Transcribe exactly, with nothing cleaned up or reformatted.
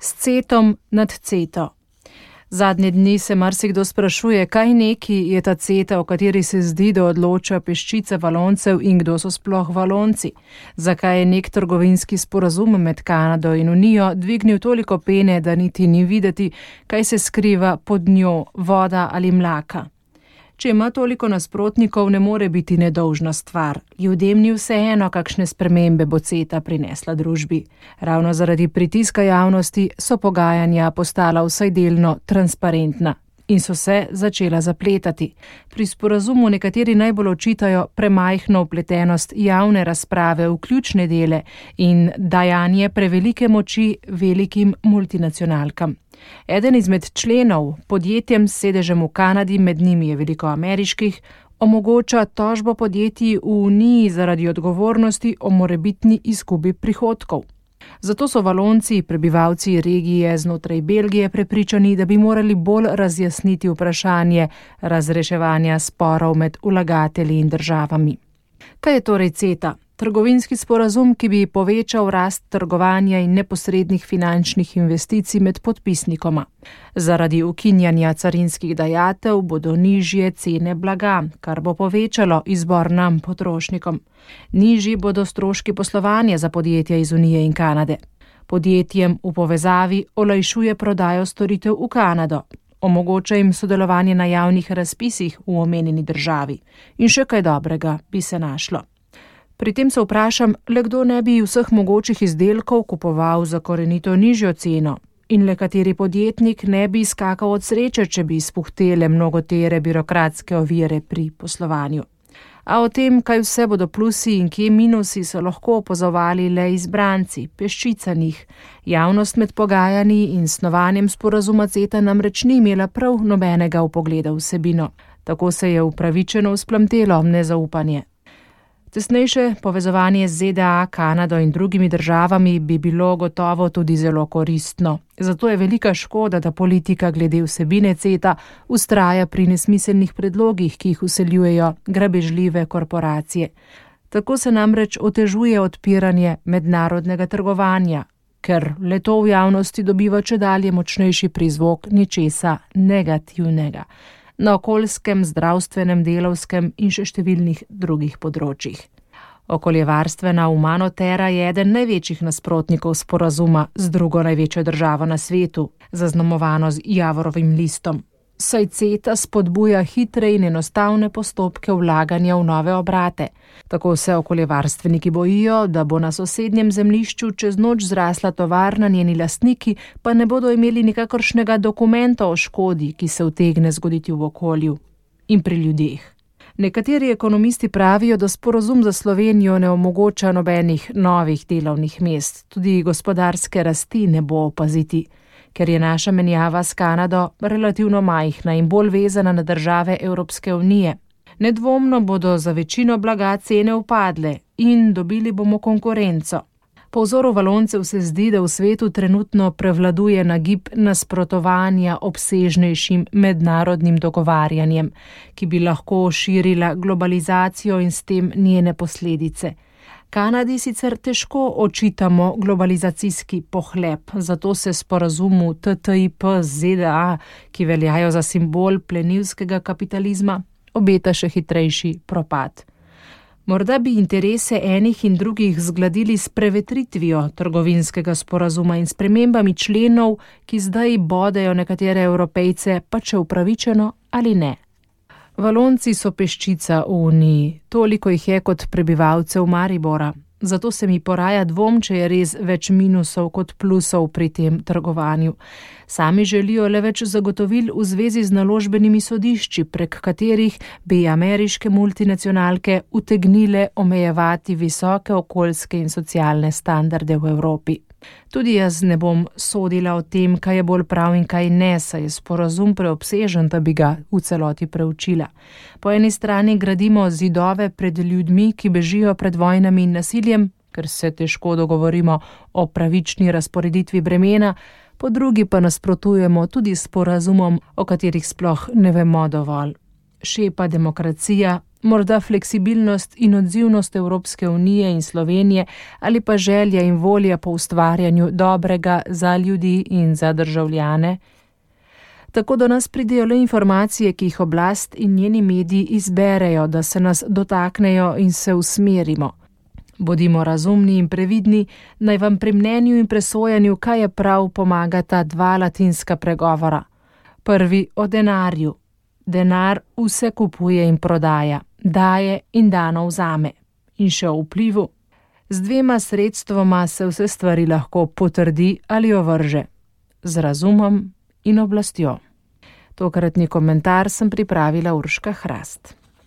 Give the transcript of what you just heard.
S cetom nad ceto. Zadnje dni se marsikdo sprašuje, kaj neki je ta ceta, o kateri se zdi, da odloča peščica Valoncev in kdo so sploh Valonci. Zakaj je nek trgovinski sporazum med Kanado in Unijo dvignil toliko pene, da niti ni videti, kaj se skriva pod njo, voda ali mlaka. Če ima toliko nasprotnikov, ne more biti nedolžna stvar. Ljudem ni vseeno, kakšne spremembe bo ceta prinesla družbi. Ravno zaradi pritiska javnosti so pogajanja postala vsaj delno transparentna in so se začela zapletati. Pri sporazumu nekateri najbolj očitajo premajhno vpletenost javne razprave v ključne dele in dajanje prevelike moči velikim multinacionalkam. Eden izmed členov, podjetjem s sedežem v Kanadi, med njimi je veliko ameriških, omogoča tožbo podjetij v Uniji zaradi odgovornosti o morebitni izgubi prihodkov. Zato so Valonci, prebivalci regije znotraj Belgije, prepričani, da bi morali bolj razjasniti vprašanje razreševanja sporov med vlagatelji in državami. Kaj je torej ceta? Trgovinski sporazum, ki bi povečal rast trgovanja in neposrednih finančnih investicij med podpisnikoma. Zaradi ukinjanja carinskih dajatev bodo nižje cene blaga, kar bo povečalo izbor nam, potrošnikom. Nižji bodo stroški poslovanja za podjetja iz Unije in Kanade. Podjetjem v povezavi olajšuje prodajo storitev v Kanado. Omogoča jim sodelovanje na javnih razpisih v omenjeni državi. In še kaj dobrega bi se našlo. Pri tem se vprašam, le kdo ne bi vseh mogočih izdelkov kupoval za korenito nižjo ceno in le kateri podjetnik ne bi skakal od sreče, če bi izpuhtele mnogotere birokratske ovire pri poslovanju. A o tem, kaj vse bodo plusi in kje minusi, so lahko opazovali le izbranci, peščica njih. Javnost med pogajanji in snovanjem sporazuma CETA namreč ni imela prav nobenega vpogleda v vsebino. Tako se je upravičeno vzplamtelo nezaupanje. Tesnejše povezovanje z ZDA, Kanado in drugimi državami bi bilo gotovo tudi zelo koristno. Zato je velika škoda, da politika glede vsebine CETA vztraja pri nesmiselnih predlogih, ki jih vseljujejo grabežljive korporacije. Tako se namreč otežuje odpiranje mednarodnega trgovanja, ker le-to v javnosti dobiva čedalje močnejši prizvok ničesa negativnega. Na okoljskem, zdravstvenem, delavskem in še številnih drugih področjih. Okoljevarstvena Umanotera je eden največjih nasprotnikov sporazuma z drugo največjo državo na svetu, zaznamovano z javorovim listom. Saj CETA spodbuja hitre in enostavne postopke vlaganja v nove obrate. Tako se okoljevarstveniki bojijo, da bo na sosednjem zemljišču čez noč zrasla tovarna, njeni lastniki pa ne bodo imeli nikakršnega dokumenta o škodi, ki se utegne zgoditi v okolju in pri ljudeh. Nekateri ekonomisti pravijo, da sporazum za Slovenijo ne omogoča nobenih novih delovnih mest, tudi gospodarske rasti ne bo opaziti, ker je naša menjava s Kanado relativno majhna in bolj vezana na države Evropske unije. Nedvomno bodo za večino blaga cene upadle in dobili bomo konkurenco. Po vzoru Valoncev se zdi, da v svetu trenutno prevladuje nagib nasprotovanja obsežnejšim mednarodnim dogovarjanjem, ki bi lahko širila globalizacijo in s tem njene posledice. Kanadi sicer težko očitamo globalizacijski pohlep, zato se sporazumu T T I P z ZDA, ki veljajo za simbol plenilskega kapitalizma, obeta še hitrejši propad. Morda bi interese enih in drugih zgladili s prevetritvijo trgovinskega sporazuma in spremembami členov, ki zdaj bodejo nekatere Evropejce, pa če upravičeno ali ne. Valonci so peščica v Uniji, toliko jih je kot prebivalcev Maribora. Zato se mi poraja dvom, če je res več minusov kot plusov pri tem trgovanju. Sami želijo le več zagotovil v zvezi z naložbenimi sodišči, prek katerih bi ameriške multinacionalke utegnile omejevati visoke okoljske in socialne standarde v Evropi. Tudi jaz ne bom sodila o tem, kaj je bolj prav in kaj ne, saj je sporazum preobsežen, da bi ga v celoti preučila. Po eni strani gradimo zidove pred ljudmi, ki bežijo pred vojnami in nasiljem, ker se težko dogovorimo o pravični razporeditvi bremena, po drugi pa nasprotujemo tudi sporazumom, o katerih sploh ne vemo dovolj. Šepa demokracija, morda fleksibilnost in odzivnost Evropske unije in Slovenije ali pa želja in volja po ustvarjanju dobrega za ljudi in za državljane. Tako do nas pridejo le informacije, ki jih oblast in njeni mediji izberejo, da se nas dotaknejo in se usmerimo. Bodimo razumni in previdni, naj vam pri mnenju in presojanju, kaj je prav, pomagata dva latinska pregovora. Prvi o denarju. Denar vse kupuje in prodaja, daje in dano vzame. In še o vplivu. Z dvema sredstvoma se vse stvari lahko potrdi ali ovrže. Z razumom in oblastjo. Tokratni komentar sem pripravila Urška Hrast.